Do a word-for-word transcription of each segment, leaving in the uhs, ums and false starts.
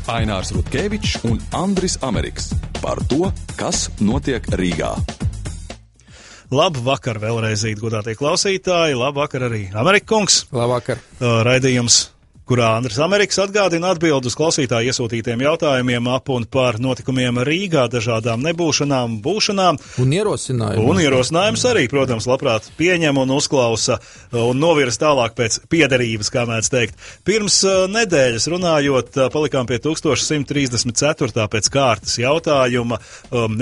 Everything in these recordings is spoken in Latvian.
Ainārs Rutkevičs un Andris Ameriks par to, kas notiek Rīgā. Labu vakar vēlreiz, godātie klausītāji, labu vakar arī Amerika kungs. Labvakar. Raidījums, kurā Andris Ameriks atgādina atbildu uz klausītāju iesūtītiem jautājumiem ap un par notikumiem Rīgā, dažādām nebūšanām, būšanām. Un ierosinājums. Un ierosinājums arī, protams, labprāt pieņem un uzklausa un novirs tālāk pēc piederības, kā mēdz teikt. Pirms nedēļas runājot, palikām pie tūkstoš simt trīsdesmit ceturtā pēc kārtas jautājuma.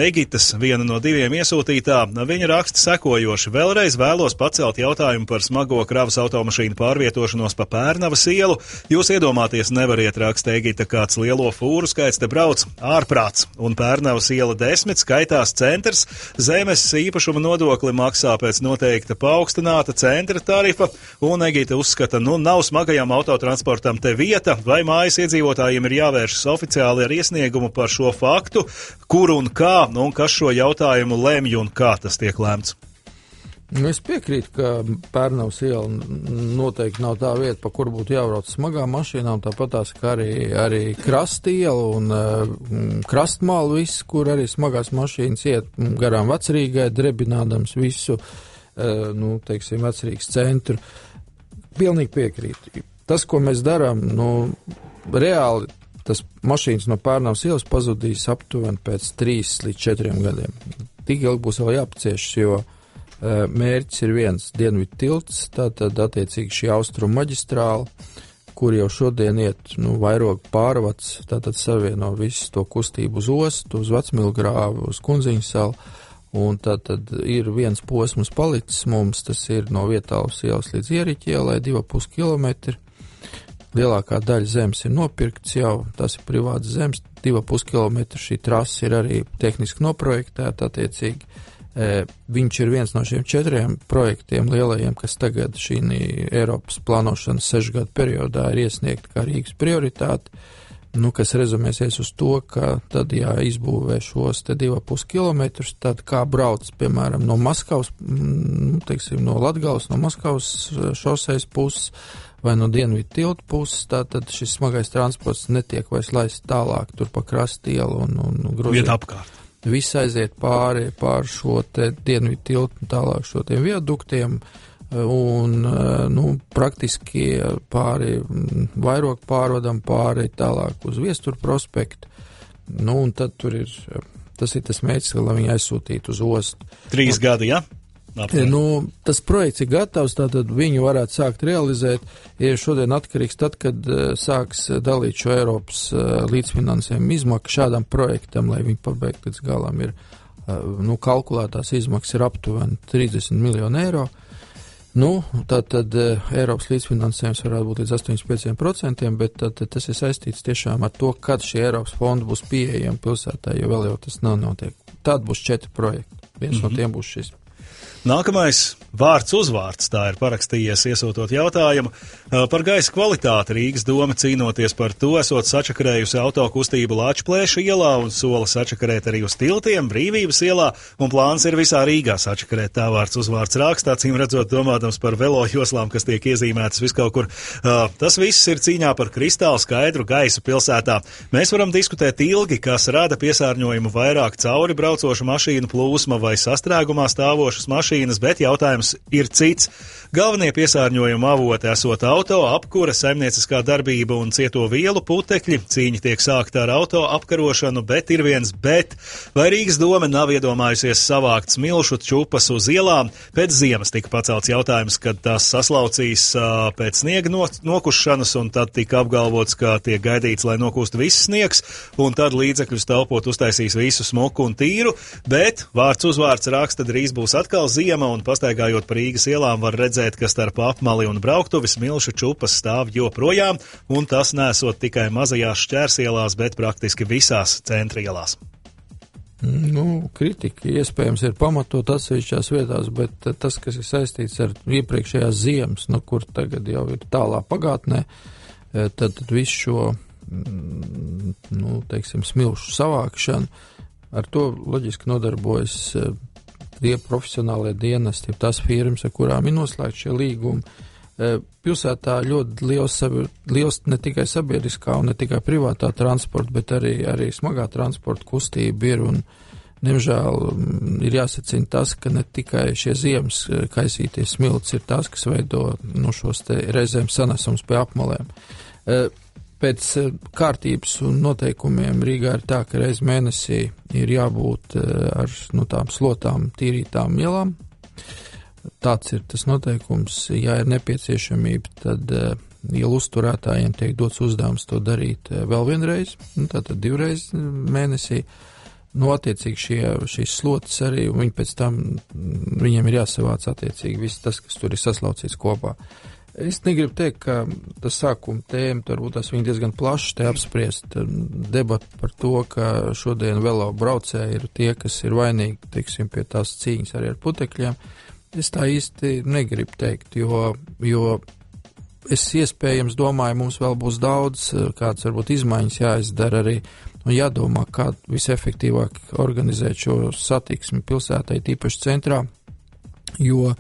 Egitas, viena no diviem iesūtītā, viņa raksta sekojoši. Vēlreiz vēlos pacelt jautājumu par smago kravas automašīnu pārvietošanos pa Pērnavas ielu. Jūs iedomāties nevariet, raksta Egita, kāds lielo fūru skaits te brauc ārprāts, un Pērnavas iela desmit skaitās centrs, zemes īpašuma nodokli maksā pēc noteikta paaugstināta centra tarifa, un Egita uzskata, nu nav smagajam autotransportam te vieta, vai mājas iedzīvotājiem ir jāvēršas oficiāli ar iesniegumu par šo faktu, kur un kā, un kas šo jautājumu lemj un kā tas tiek lēmts. Nu, es piekrītu, ka Pērnavas iela noteikti nav tā vieta, pa kur būtu jābrauc smagām mašīnām, tāpat tās, ka arī, arī krasta iela un uh, krastmāla viss, kur arī smagās mašīnas iet garām Vecrīgai, drebinādams visu, uh, nu, teiksim, Vecrīgas centru. Pilnīgi piekrītu. Tas, ko mēs darām, nu, reāli tas mašīnas no Pērnavas ielas pazudīs aptuveni pēc trīs līdz četriem gadiem. Tik ilgi būs vēl jāpaciešas, jo mērķis ir viens dienvidu tilts, tātad attiecīgi šī austrumu maģistrāla, kur jau šodien iet, nu, vairogu pārvads, tātad savieno visu to kustību uz ostu, uz Vecmilgrāvu, uz Kunziņu salu, un tātad ir viens posms palicis mums, tas ir no Vietālas ielas līdz Ieriķa ielai, divi ar pus kilometri. Lielākā daļa zemes ir nopirkts jau, tas ir privāts zemes, divi ar pus kilometri, šī trasa ir arī tehniski noprojektēta attiecīgi. Viņš ir viens no šiem četriem projektiem lielajiem, kas tagad šī Eiropas plānošanas sešu gadu periodā ir iesniegta kā Rīgas prioritāte, nu, kas rezumēsies uz to, ka tad, ja izbūvē šos te divi ar pus kilometrus, tad kā brauc, piemēram, no Maskavas, nu, teiksim, no Latgales, no Maskavas šoseis puses vai no dienvidu tiltu puses, tātad šis smagais transports netiek vairs laists tālāk tur pa krastielu un, un Gruziju. Vieta apkārt. Viss aiziet pāri pār šo te dienvidu tiltu un tālāk šo tiem viaduktiem un, nu, praktiski pāri vairogu pārvadam pāri tālāk uz Viestura prospektu. Nu, un tad tur ir, tas ir tas mērķis, lai viņi aizsūtītu uz ostu. Trīs gadi, ja? Apmēram. Nu, tas projekts ir gatavs, tātad viņu varētu sākt realizēt. Ir šodien atkarīgs tad, kad uh, sāks dalīt šo Eiropas uh, līdzfinansējumu izmaksu šādam projektam, lai viņi pabeigtu līdz galam. Ir, uh, nu, kalkulētās izmaksas ir aptuveni trīsdesmit miljoni eiro. Nu, tātad uh, Eiropas līdzfinansējums varētu būt līdz astoņdesmit pieciem procentiem, bet tad, tas ir saistīts tiešām ar to, kad šie Eiropas fondi būs pieejami pilsētā, jo vēl jau tas nav notiek. Tad būs četri projekti. Viens mm-hmm. no tiem būs šis. Nākamais vārds uzvārds, tā ir parakstījies iesūtot jautājumu par gaisa kvalitāti. Rīgas doma cīnoties par to, esot sačakarējusi autokustību Lāčplēša ielā un sola sačakarēt arī uz tiltiem Brīvības ielā, un plāns ir visā Rīgā sačakarēt, tā vārds uzvārds rakstā, cīm redzot domādams par velo joslām, kas tiek iezīmētas viskaut kur. Tas viss ir cīņā par kristāli skaidru gaisu pilsētā. Mēs varam diskutēt ilgi, kas rada piesārņojumu vairāk cauri braucošu mašīnu plūsma vai sastrēgumā stāvošas mašīnas, bet jautājums ir cits. Galvenie piesārņojuma avoti esot auto, apkura, saimnieciskā darbība un cieto vielu putekļi. Cīņa tiek sākta ar auto apkarošanu, bet ir viens bet. Vai Rīgas doma nav iedomājusies savākt smilšu čupas uz ielām? Pēc ziemas tika pacelts jautājums, kad tās saslaucīs uh, pēc sniega no, nokušanas, un tad tika apgalvots, ka tiek gaidīts, lai nokūst viss sniegs, un tad līdzekļus taupot uztaisīs visu smuku un tīru, bet vārds uzvārds raksta drīz būs atkal ziema, un pastaigājot pa Rīgas ielām var redzēt, ka starp apmali un brauktuvi smilšu čupas stāv joprojām, un tas nesot tikai mazajās šķērsielās, bet praktiski visās centrielās. Nu, kritika iespējams ir pamatot atsevišķās vietās, bet tas, kas ir saistīts ar iepriekšējās ziemas, nu, kur tagad jau ir tālā pagātnē, tad, tad visu šo, nu, teiksim, smilšu savākšanu, ar to loģiski nodarbojas tie profesionālie dienesti, tās firmas, ar kurām ir noslēgti šie līgumi, Pilsētā ļoti liels, liels ne tikai sabiedriskā un ne tikai privātā transporta, bet arī, arī smagā transporta kustība ir, un diemžēl ir jāsacina tas, ka ne tikai šie ziemas kaisīties smilts ir tās, kas veido no šos te reizēm sanesums pie apmalēm. Pēc kārtības un noteikumiem Rīgā ir tā, ka reiz mēnesī ir jābūt ar nu, tām slotām tīrītām ielām. Tāds ir tas noteikums. Ja ir nepieciešamība, tad ielu uzturētājiem tiek dots uzdevums to darīt vēl vienreiz, nu, tātad divreiz mēnesī. Nu, attiecīgi šie, šīs slotas arī, un viņi pēc tam, viņiem ir jāsavāc attiecīgi viss tas, kas tur ir saslaucīts kopā. Es negribu teikt, ka tas sākuma tēma, varbūt tas viņi diezgan plaši te apspriest debatu par to, ka šodien velo braucēji ir tie, kas ir vainīgi, teiksim, pie tās cīņas arī ar putekļiem. Es tā īsti negribu teikt, jo, jo es iespējams domāju, mums vēl būs daudz, kāds varbūt izmaiņas jāizdara arī, un jādomā, kā visefektīvāk organizēt šo satiksmi pilsētai, tīpaši centrā, jo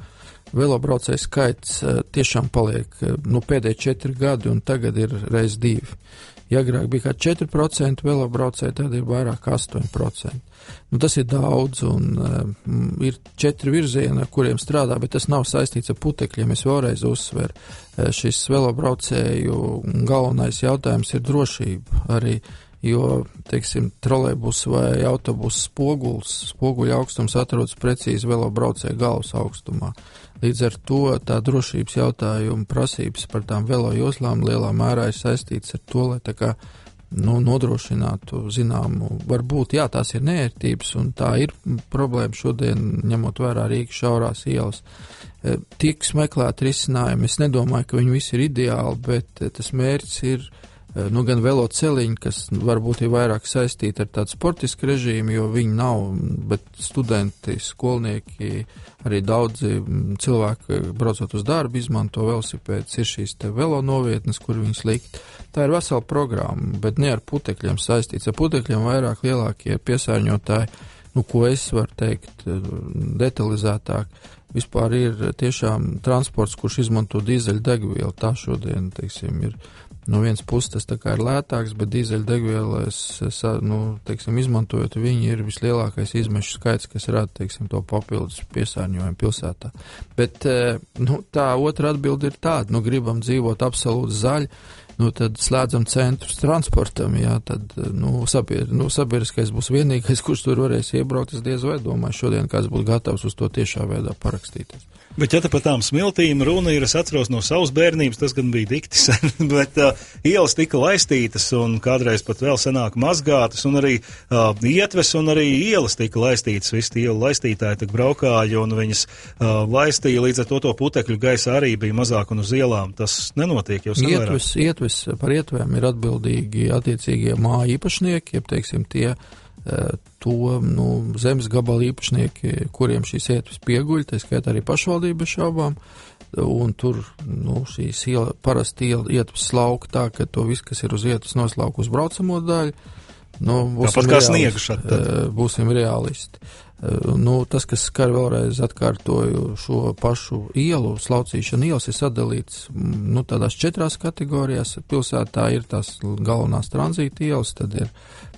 velobraucēju skaits tiešām paliek, nu, pēdējie četri gadi, un tagad ir reiz divi. Ja agrāk bija kā četri procenti velobraucēju, tad ir vairāk astoņi procenti. Nu, tas ir daudz, un um, ir četri virzieni, ar kuriem strādā, bet tas nav saistīts ar putekļiem. Es vēlreiz uzsveru, šis velobraucēju galvenais jautājums ir drošība arī, jo, teiksim, trolejbus vai autobus spoguls, spoguļa augstums atrodas precīzi velobraucēju galvas augstumā. Līdz ar to tā drošības jautājuma prasības par tām velo joslām lielā mērā ir saistīts ar to, lai tā kā, nu, nodrošinātu zināmu, varbūt, jā, tās ir neērtības, un tā ir problēma šodien, ņemot vērā Rīgas šaurās ielas. Tiek meklēt risinājumi, es nedomāju, ka viņi visi ir ideāli, bet tas mērķis ir, nu, gan velo celiņi, kas varbūt ir vairāk saistīti ar tādu sportisku režīmu, jo viņi nav, bet studenti, skolnieki, arī daudzi cilvēki, braucot uz darbu, izmanto velosipēdus, ir šīs te velo novietnes, kur viņas likt. Tā ir vesela programma, bet ne ar putekļiem saistīts. Ar putekļiem vairāk lielākie piesārņotāji, nu, ko es varu teikt detalizētāk, vispār ir tiešām transports, kurš izmanto dīzeļdegvielu. Tā šodien, teiksim, ir no vienas puses tas tā kā ir lētāks, bet dīzeļdegvielas, nu, teiksim, izmantojot viņi ir vislielākais izmešu skaits, kas rada, teiksim, to papildus piesārņojumu pilsētā. Bet, nu, tā otra atbilde ir tāda, nu, gribam dzīvot absolūti zaļi, nu, tad slēdzam centrus transportam, jā, tad, nu, sabied, nu, sabiedriskais būs vienīgais, kurš tur varēs iebraukt, es diez vai domāju, šodien kāds būtu gatavs uz to tiešā veidā parakstīties. Bet, ja te par tām smiltīm runa ir, es atceros no savas bērnības, tas gan bija dikti sen, bet uh, ielas tika laistītas un kādreiz pat vēl senāk mazgātas, un arī uh, ietves un arī ielas tika laistītas, visi ielu laistītāji tak braukāja un viņas uh, laistīja, līdz ar to to putekļu gaisa arī bija mazāk un uz ielām. Tas nenotiek jau savērā. Ietves, ietves par ietvēm ir atbildīgi attiecīgie māju īpašnieki, jeb, teiksim, tie to, nu, zemes gabalu īpašnieki, kuriem šīs ietves pieguļ, tā skaitā arī pašvaldība šaubām, un tur, nu, šīs iela, parasti iela, ietves slauka tā, ka to viss, kas ir uz ietves noslauka uz braucamo daļu, nu, būsim, realisti, būsim realisti. Nu, tas, kas skar vēlreiz atkārtoju šo pašu ielu, slaucīšana ielas ir sadalīts, nu, tādās četrās kategorijās. Pilsētā ir tās galvenās tranzīta ielas, tad ir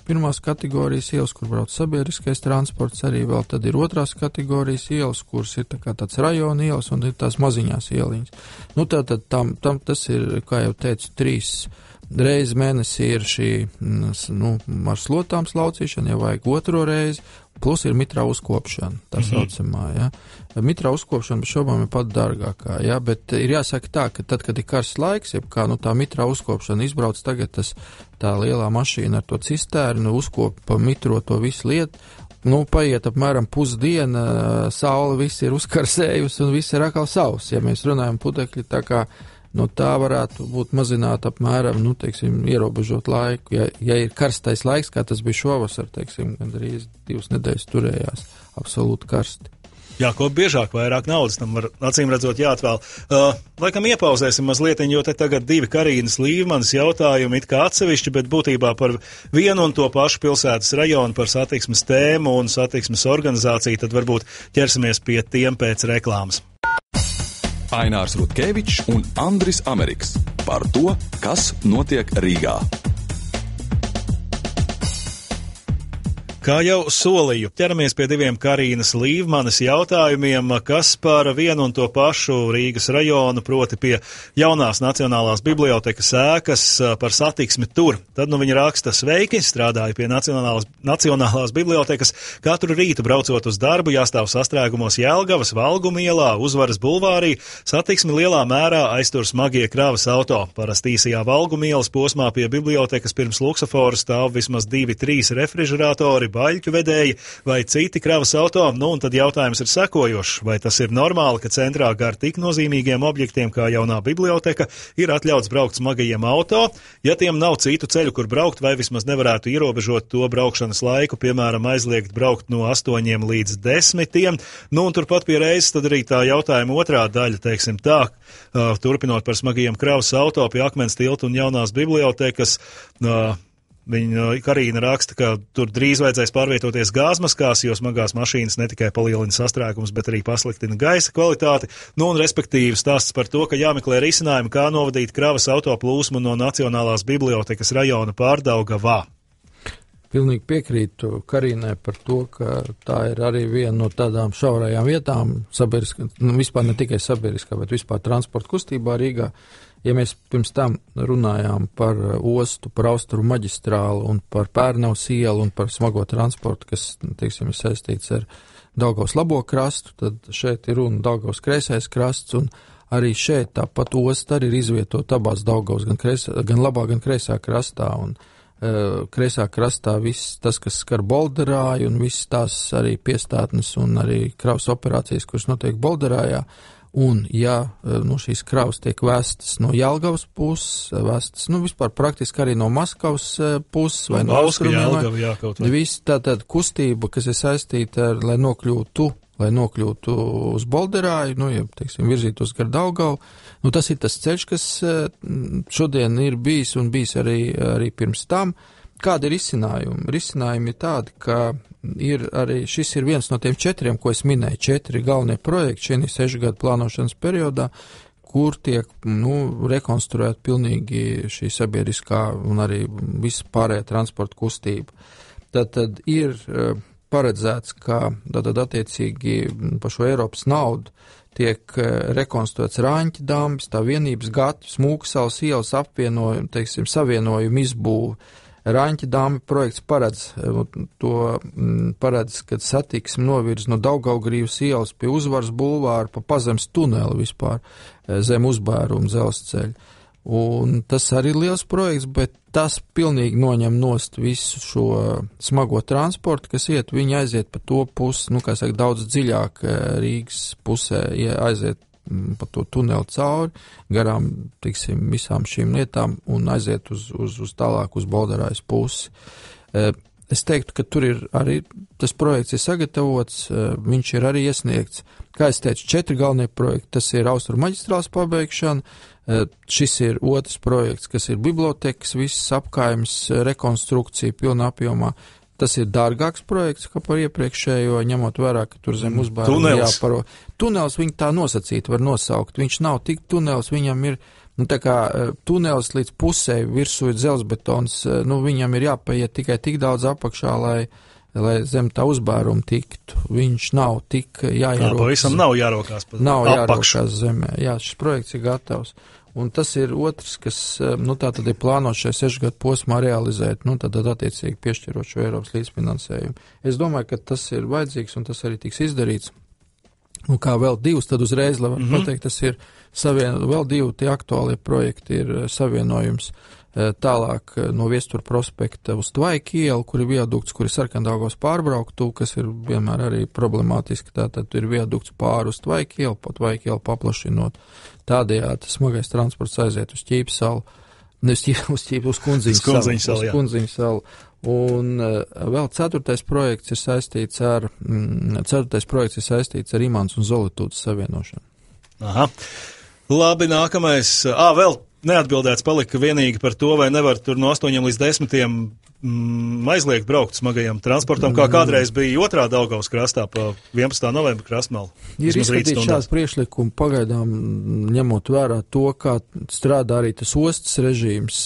pirmās kategorijas ielas, kur brauc sabiedriskais transports, arī vēl tad ir otrās kategorijas ielas, kuras ir tā kā tāds rajona ielas un ir tās maziņās ieliņas. Nu, tātad tam, tam tas ir, kā jau teicu, trīs reizi mēnesī ir šī, nu, ar slotām slaucīšana, ja vajag otro reizi, plus ir mitrā uzkopšana, tā mm-hmm. saucamā, ja. Mitrā uzkopšana bez šaubām ir pat dārgākā, ja, bet ir jāsaka tā, ka tad, kad ir karsts laiks, jeb kā, nu, tā mitrā uzkopšana izbrauc tagad tas, tā lielā mašīna ar to cisternu, uzkop pa mitro to visu lietu, nu, paiet apmēram pusdiena, saule viss ir uzkarsējusi un viss ir atkal savs, ja mēs runājam putekļi tā kā, nu, tā varētu būt mazināt apmēram, nu, teiksim, ierobežot laiku. Ja, ja ir karstais laiks, kā tas bija šovasar, teiksim, gandrīz divas nedēļas turējās absolūti karsti. Jā, ko biežāk vairāk naudas tam var acīm redzot jāatvēl. Uh, laikam iepauzēsim mazliet, jo te tagad divi Karīnas Līvmanas jautājumi it kā atsevišķi, bet būtībā par vienu un to pašu pilsētas rajonu, par satiksmes tēmu un satiksmes organizāciju, tad varbūt ķersimies pie tiem pēc reklāmas. Ainārs Rutkevičs un Andris Ameriks par to, kas notiek Rīgā. Kā jau solīju, ķeramies pie diviem Karīnas Līvmanes jautājumiem, kas par vienu un to pašu Rīgas rajonu, proti pie jaunās Nacionālās bibliotekas ēkas, par satiksmi tur. Tad nu viņa raksta: sveiki, strādāju pie Nacionālās, Nacionālās bibliotekas. Katru rītu braucot uz darbu, jāstāv sastrēgumos Jelgavas, Valguma ielā, Uzvaras bulvārī. Satiksmi lielā mērā aiztur smagie kravas auto. Parasti īsajā Valguma ielas posmā pie bibliotekas pirms luksaforu stāv vismaz divi, trīs refrižeratori, baļķu vedēji vai citi kravas auto. Nu, un tad jautājums ir sekojošs. Vai tas ir normāli, ka centrā gar tik nozīmīgiem objektiem kā jaunā biblioteka ir atļauts braukt smagajiem auto? Ja tiem nav citu ceļu, kur braukt, vai vismaz nevarētu ierobežot to braukšanas laiku, piemēram, aizliegt braukt no astoņiem līdz desmitiem? Nu, un turpat pie reizes tad arī tā jautājuma otrā daļa, teiksim tā, uh, turpinot par smagajiem kravas auto pie Akmens tilta un jaunās bibliotekas. Uh, Viņa Karīna raksta, ka tur drīz vajadzēs pārvietoties gāzmaskās, jo smagās mašīnas ne tikai palielina sastrēgumus, bet arī pasliktina gaisa kvalitāti. Nu un respektīvi stāsts par to, ka jāmeklē risinājumi, kā novadīt kravas auto plūsmu no Nacionālās bibliotekas rajona Pārdaugavā. Pilnīgi piekrītu Karīnai par to, ka tā ir arī viena no tādām šaurajām vietām, sabiedriskā, nu, vispār ne tikai sabiedriskā, bet vispār transporta kustībā Rīgā. Ja mēs pirms tam runājām par ostu, par Austrumu maģistrālu un par Pērnavas ielu un par smago transportu, kas, teiksim, ir saistīts ar Daugavas labo krastu, tad šeit ir runa Daugavas kreisais krasts, un arī šeit tāpat osta arī ir izvietota abās Daugavas, gan, kreisā, gan labā, gan kreisā krastā, un uh, kreisā krastā viss tas, kas skar Bolderāju, un viss tās arī piestātnes un arī kravas operācijas, kuras notiek Bolderājā. Un, ja no šīs kravas tiek vēstas no Jelgavas puses, vēstas, nu, vispār praktiski arī no Maskavas puses vai no Austrumiem, viss tātad kustība, kas ir saistīta ar, lai nokļūtu, lai nokļūtu uz Bolderāju, nu, ja, teiksim, virzītos gar Daugavu, nu, tas ir tas ceļš, kas šodien ir bijis un bijis arī, arī pirms tam. Kādi ir risinājumi? Risinājumi ir tādi, ka ir arī, šis ir viens no tiem četriem, ko es minēju, četri galvenie projekti šī sešu gadu plānošanas periodā, kur tiek, nu, rekonstruēt pilnīgi šī sabiedriskā un arī visa pārējā transporta kustība. Tad, tad ir paredzēts, ka tad attiecīgi par šo Eiropas naudu tiek rekonstruēts Rāņķa dambis, tā vienības gati, Smūksals ielas apvienojumu, teiksim, savienojumu izbūvi. Rāņķa dambi projekts paredz, to paredz, kad satiksmi novirz no Daugavgrīvas ielas pie Uzvaras bulvāra pa pazemes tuneli vispār zem uzbēruma dzelzceļa. Un tas arī ir liels projekts, bet tas pilnīgi noņem nost visu šo smago transportu, kas iet, viņi aiziet pa to pusi, nu, kā saka, daudz dziļāk Rīgas pusē, ja aiziet pa to tuneli cauri, garām, tiksim, visām šīm lietām un aiziet uz, uz, uz tālāk uz Bolderājas pusi. Es teiktu, ka tur ir arī, tas projekts ir sagatavots, viņš ir arī iesniegts. Kā es teicu, četri galvenie projekti, tas ir Austrumu maģistrāles pabeigšana, šis ir otrs projekts, kas ir bibliotekas, viss apkājums, rekonstrukcija pilnā apjomā. Tas ir dārgāks projekts, kā par iepriekšējo, ņemot vērā, ka tur zem uzbēruma jāparo. Tunels viņi tā nosacīt var nosaukt. Viņš nav tik tunels, viņam ir, nu, tā kā tunels līdz pusē virsū ir dzelzbetons, nu, viņam ir jāpaiet tikai tik daudz apakšā, lai, lai zem tā uzbēruma tiktu. Viņš nav tik jāierokas. Jā, pavisam nav jārokās pa nav apakšu. Jārokās zemē. Jā, šis projekts ir gatavs. Un tas ir otrs, kas, nu, tā tad ir plānots šajā sešu gadu posmā realizēt, nu, tad attiecīgi piešķirot šo Eiropas līdzfinansējumu. Es domāju, ka tas ir vajadzīgs un tas arī tiks izdarīts. Un kā vēl divus, tad uzreiz, lai var mm-hmm. pateikt, tas ir savien, vēl divi tie aktuālie projekti ir savienojums tālāk no Viestura prospekta uz Tvaika ielu, kur ir viadukts, kur ir Sarkandaugavas pārbrauktu, kas ir vienmēr arī problemātiski. Tātad ir viadukts pāri uz Tvaika ielu, pa Tvaika ielu paplašinot. Tādējādi smagais transports aiziet uz Ķīpsalu, ne uz Ķīpsalu, uz, ķīp, uz Kundziņu salu. Uz Kundziņu salu. Un uh, vēl ceturtais projekts ir saistīts ar, mm, ceturtais projekts ir saistīts ar Imants un Zolitūdas savienošanu. Aha. Labi, nākamais. Ā, vēl neatbildēts palika vienīgi par to, vai nevar tur no astoņiem līdz desmitiem mm, aizliegt braukt smagajam transportam, kā kādreiz bija otrā Daugavas krastā pa vienpadsmitā novembra krastmalu. Ir izskatīt šādu priekšlikumu pagaidām, ņemot vērā to, kā strādā arī tas ostas režīms.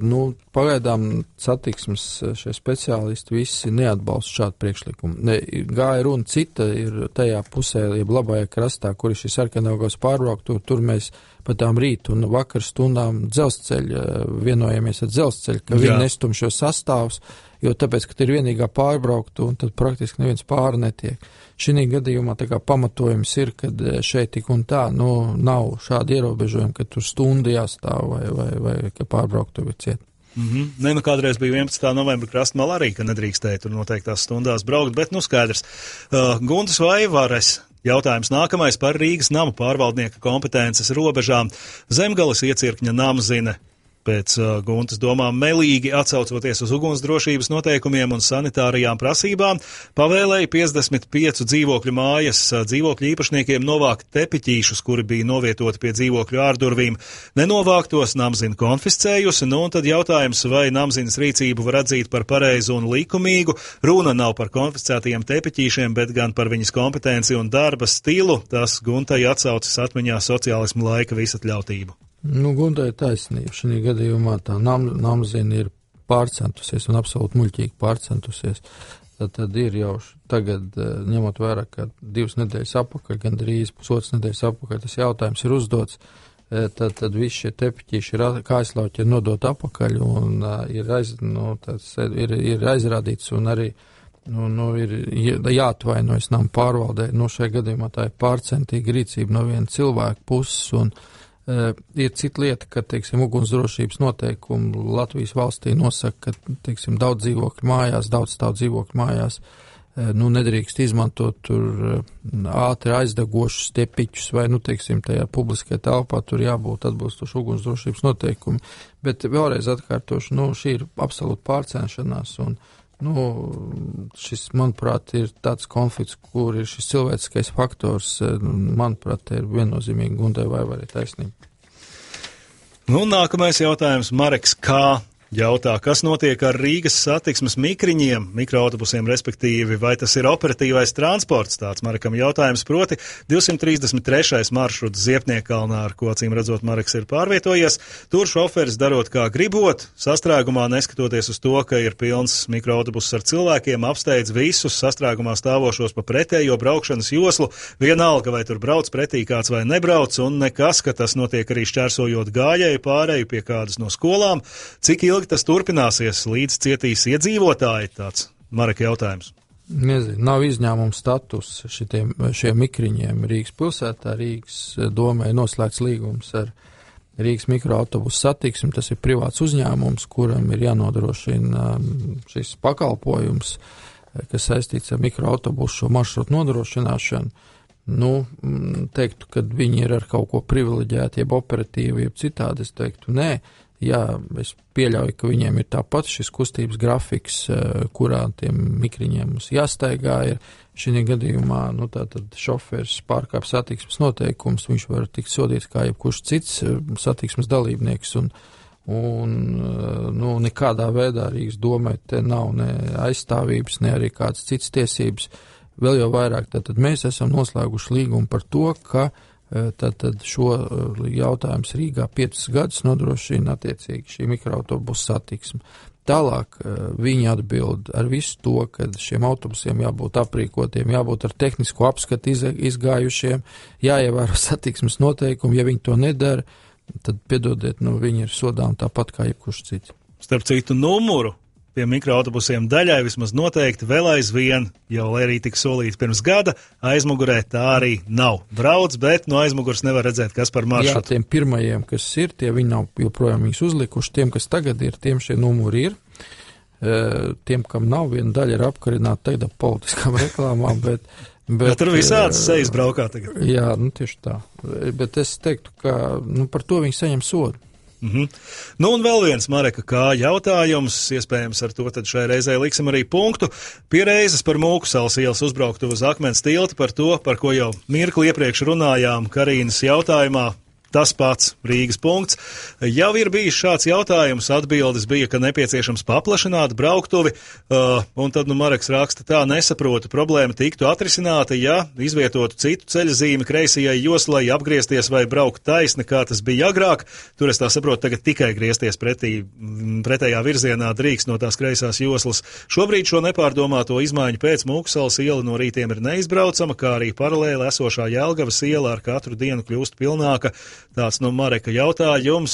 Nu, pagaidām satiksmes šie speciālisti visi neatbalsta šādu priekšlikumu. Ne, gāja runa cita ir tajā pusē, jeb labajā krastā, kur ir šī Sarkandaugavas pārbraukt, tur, tur mēs pa tām rītu un vakar stundām dzelzceļa, vienojamies ar dzelzceļu, ka Jā. viņi nestum šo sastāvus, jo tāpēc, ka ir vienīgā pārbraukta un tad praktiski neviens pāri netiek. Šī gadījumā tā kā pamatojums ir, kad šeit tik un tā, nu, nav šādi ierobežojumi, ka tur stundu jāstāv vai, vai, vai ka pārbrauktu vai ciet. Mm-hmm. Ne, nu kādreiz bija vienpadsmitā novembra krastmala arī, ka nedrīkstēja tur noteiktās stundās braukt, bet nu skaidrs. Uh, Guntas Vaivares. Jautājums nākamais par Rīgas namu pārvaldnieka kompetences robežām. Zemgales iecirkņa namzine pēc uh, Guntas domām melīgi atsaucoties uz ugunsdrošības noteikumiem un sanitārijām prasībām, pavēlēja piecdesmit piecu dzīvokļu mājas uh, dzīvokļu īpašniekiem novākt tepiķīšus, kuri bija novietoti pie dzīvokļu ārdurvīm. Nenovāktos namzina konfiscējusi, nu un tad jautājums, vai namzinas rīcību var atzīt par pareizu un likumīgu. Runa nav par konfiscētajiem tepiķīšiem, bet gan par viņas kompetenci un darba stilu. Tas Guntai atsaucas atmiņā sociālismu laika visatļautību. Nu, Guntai ir taisnība. Šī gadījumā tā nam, namzina ir pārcentusies un absolūti muļķīgi pārcentusies. Tad, tad ir jau tagad, ņemot vērā, ka divas nedēļas apakaļ, gan drīz pusotras nedēļas apakaļ, tas jautājums ir uzdots, tad, tad visi šie tepiķīši ir kājaslauķi ir nodot apakaļ un uh, ir, aiz, nu, tas, ir, ir aizrādīts un arī nu, nu, ir jāatvainojas nam pārvaldē. Nu, šajā gadījumā tā ir pārcentīga rīcība no viena cilvēka puses un Uh, ir cita lieta, ka, teiksim, ugunsdrošības noteikumi Latvijas valstī nosaka, ka, teiksim, daudz dzīvokļu mājās, daudz stāv dzīvokļu mājās, uh, nu, nedrīkst izmantot tur uh, ātri aizdegošus tepiķus vai, nu, teiksim, tajā publiskajā telpā tur jābūt atbilstoši ugunsdrošības noteikumi. Bet vēlreiz atkārtošu, nu, šī ir absolūta pārcenšanās un Nu, šis, manuprāt, ir tāds konflikts, kur ir šis cilvēciskais faktors, manuprāt, ir viennozīmīgi Guntai Vaivarai taisnība. Nu, nākamais jautājums, Mareks, kā jautā, kas notiek ar Rīgas satiksmes mikriņiem, mikroautobusiem, respektīvi, vai tas ir operatīvais transports? Tāds Marekam jautājums, proti divsimt trīsdesmit trešais maršruts Ziepniekalnā, ar ko, acīm redzot, Mareks ir pārvietojies. Tur šoferis darot kā gribot, sastrēgumā neskatoties uz to, ka ir pilns mikroautobuss ar cilvēkiem, apsteidz visus sastrēgumā stāvošos pa pretējo braukšanas joslu, vienalga, vai tur brauc pretī kāds vai nebrauc, un nekas, ka tas notiek arī šķērsojot gājēju pārēju pie kādas no skolām. Cik ilgi tas turpināsies, līdz cietīs iedzīvotāji? Tāds Mareka jautājums. Nezinu, nav izņēmuma status šitiem, šiem mikriņiem Rīgas pilsētā. Rīgas domē noslēgts līgums ar Rīgas mikroautobusu satiksmi. Tas ir privāts uzņēmums, kuram ir jānodrošina šis pakalpojums, kas saistīts ar mikroautobusu šo maršrutu nodrošināšanu. Nu, teiktu, ka viņi ir ar kaut ko privileģēti, jeb operatīvi, jeb citādi, es teiktu, nē. Jā, es pieļauju, ka viņiem ir tāpat šis kustības grafiks, kurā tiem mikriņiem mums jāstaigā ir. Šī gadījumā, nu, tātad šoferis pārkāp satiksmes noteikums, viņš var tikt sodīts kā jebkurš cits satiksmes dalībnieks, un, un nu, nekādā veidā Rīgas domē te nav ne aizstāvības, ne arī kādas citas tiesības. Vēl jau vairāk, tātad mēs esam noslēguši līgumu par to, ka Tātad šo jautājums Rīgā piecus gadus nodrošina attiecīgi šī mikroautobusu satiksme. Tālāk viņi atbild ar visu to, ka šiem autobusiem jābūt aprīkotiem, jābūt ar tehnisko apskatu izgājušiem, jāievēro satiksmes noteikumi. Ja viņi to nedara, tad, piedodiet, nu, viņi ir sodām tāpat kā jebkurš cits. Starp citu numuru pie mikroautobusiem daļai vismaz noteikti vēl aizvien, jau arī tika solīts pirms gada, aizmugurē tā arī nav. Brauc, bet no aizmuguras nevar redzēt, kas par maršrutu. Jā, tiem pirmajiem, kas ir, tie viņi nav joprojām viņus uzlikuši, tiem, kas tagad ir, tiem šie numuri ir. Tiem, kam nav, viena daļa ir apkarināta tagad ap politiskām reklāmām, bet... bet ja tur visāds sejas braukā tagad. Jā, nu tieši tā. Bet es teiktu, ka nu, par to viņi saņem sodu. Mm-hmm. Nu un vēl viens, Mareka, kā jautājums, iespējams ar to tad šai reizē liksim arī punktu. Pie reizes par Mūkusalas ielas uzbrauktu uz Akmens tilti, par to, par ko jau mirkli iepriekš runājām Karīnas jautājumā. tas pats Rīgas punkts. Jau ir bijis šāds jautājums, atbildes bija, ka nepieciešams paplašināt brauktuvi, uh, un tad, nu, Mareks raksta tā, nesaprotu, problēma tiktu atrisināta, ja izvietotu citu ceļazīmi kreisajai joslai, apgriezties vai braukt taisni, kā tas bija agrāk. Tur es tā saprotu, tagad tikai griezties pretī, pretējā virzienā drīkst no tās kreisās joslas. Šobrīd šo nepārdomāto izmaiņu pēc Mūksalas iela no rītiem ir neizbraucama, kā arī paralēli esošā Jelgavas iela ar katru dienu kļūst pilnāka. Tāds no Mareka jautājums,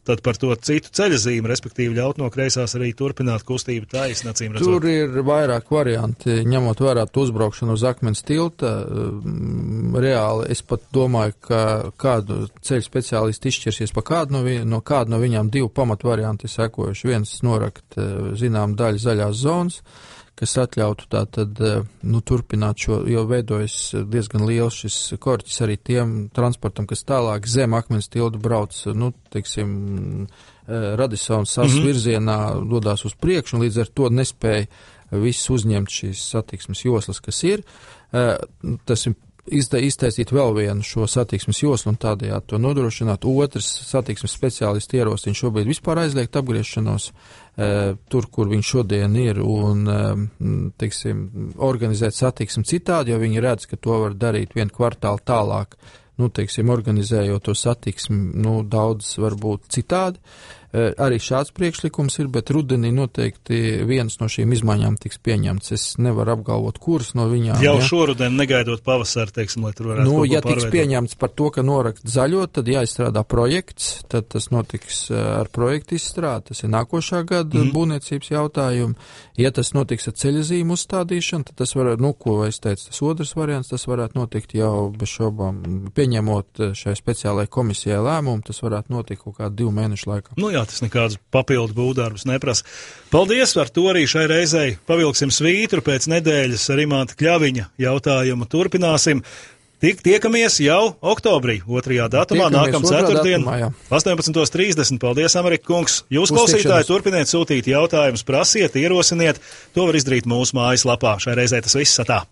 tad par to citu ceļazīmi, respektīvi ļaut no kreisās arī turpināt kustību taisni, acīm redzot. Tur ir vairāk varianti, ņemot vērā uzbraukšanu uz akmens tilta. Reāli es pat domāju, ka kādu ceļu speciālistu izšķirsies pa kādu no, vi, no kādu no viņām divu pamatu varianti sekojuši. Viens norakt, zinām, daļu zaļās zonas, kas atļautu tā tad, nu, turpināt šo, jo veidojas diezgan liels šis korķis arī tiem transportam, kas tālāk zem akmens tildu brauc, nu, teiksim, Radisons sas mm-hmm. virzienā dodās uz priekšu, un līdz ar to nespēja viss uzņemt šīs satiksmes joslas, kas ir. Tas ir iztaisīt vēl vienu šo satiksmes joslu un tādējādi to nodrošināt. Otrs satiksmes speciālisti ierosina šobrīd vispār aizliegt apgriešanos e, tur, kur viņš šodien ir, un, e, teiksim, organizēt satiksmi citādi, jo viņi redz, ka to var darīt vienu kvartālu tālāk, nu, teiksim, organizējot to satiksmi, nu, daudz varbūt citādi. E, arī šāds priekšlikums ir, bet rudenī noteikti vienas no šīm izmaiņām tiks pieņemts. Es nevaru apgalvot, kuras no viņām. Jau ja? šoruden negaidot pavasaru, teiksim, lai tur varētu nu, kaut ko ja tiks pārveidot. Pieņemts par to, ka norakt zaļo, tad jāizstrādā projekts, tad tas notiks ar projektu izstrādi. Tas ir nākošā gada mm. būvniecības jautājumi. Ja tas notiks ar ceļazīmu uzstādīšanu, tad tas var, nu, ko es teicu, tas otrs variants, tas varētu notikt jau bez šobām, pieņemot šai speciālai komisijai lēmumu, tas varētu notikt kaut kādu divu mēnešu laikā. Nu jā, tas nekādus papildu būvdarbus neprasa. Paldies, ar to arī šai reizei pavilksim svītru, pēc nedēļas ar Imanta Kļaviņa jautājumu turpināsim. Tik tiekamies jau oktobrī, otrajā datumā, nākam ceturtdien, astoņpadsmit trīsdesmit. Paldies, Amerika kungs. Jūs, klausītāji, turpiniet sūtīt jautājumus, prasiet, ierosiniet. To var izdarīt mūsu mājaslapā. Šai reizei tas viss atā.